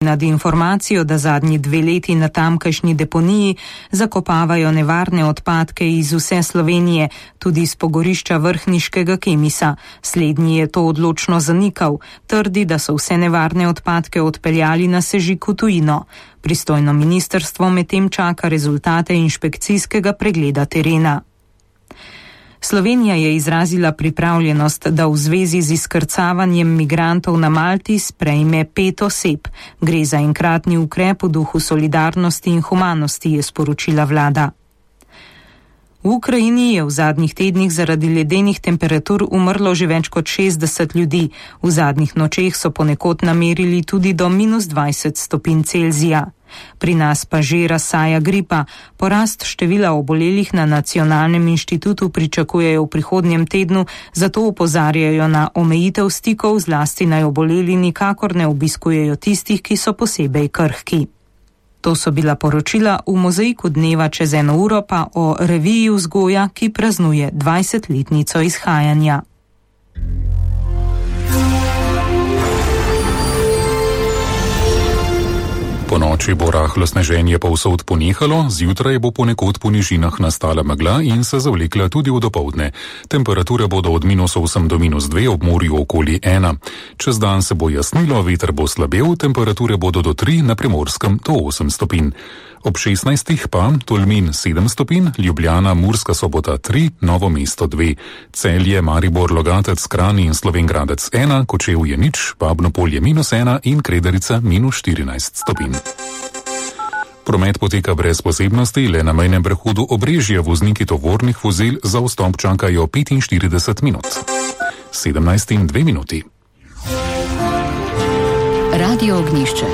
nad informacijo, da zadnji 2 leti na tamkajšnji deponiji zakopavajo nevarne odpadke iz vse Slovenije, tudi iz pogorišča vrhniškega Kemisa. Slednji je to odločno zanikal, trdi, da so vse nevarne odpadke odpeljali na sežig v tujino. Pristojno ministrstvo medtem čaka rezultate inšpekcijskega pregleda terena. Slovenija je izrazila pripravljenost, da v zvezi z izkrcavanjem migrantov na Malti sprejme 5 oseb. Gre za enkratni ukrep v duhu solidarnosti in humanosti, je sporočila vlada. V Ukrajini je v zadnjih tednih zaradi ledenih temperatur umrlo že več kot 60 ljudi. V zadnjih nočeh so ponekod namerili tudi do -20 stopinj Celzija. Pri nas pa že razsaja gripa. Porast števila obolelih na Nacionalnem inštitutu pričakujejo v prihodnjem tednu, zato opozarjajo na omejitev stikov, zlasti naj oboleli nikakor ne obiskujejo tistih, ki so posebej krhki. To so bila poročila v Mozaiku dneva, čez 1 uro pa o reviji vzgoja, ki praznuje 20-letnico izhajanja. Po noči bo rahlo sneženje povsod ponehalo, zjutraj bo ponekod po nižinah nastala megla in se zavlekla tudi v dopoldne. Temperature bodo od -8 do -2, ob morju okoli 1. Čez dan se bo jasnilo, veter bo slabel, temperature bodo do 3, na Primorskem do 8 stopinj. Ob 16 pa Tolmin 7 stopinj, Ljubljana, Murska Sobota 3, Novo mesto 2, Celje, Maribor, Logatec, Kranj in Slovenj Gradec 1, Kočevje 0, Babno Polje -1 in Kredarica -14 stopinj. Promet poteka brez posebnosti, le na mejnem prehodu Obrežje vozniki tovornih vozil za vstop čakajo 45 minut. 17:02. Radio Ognjišče.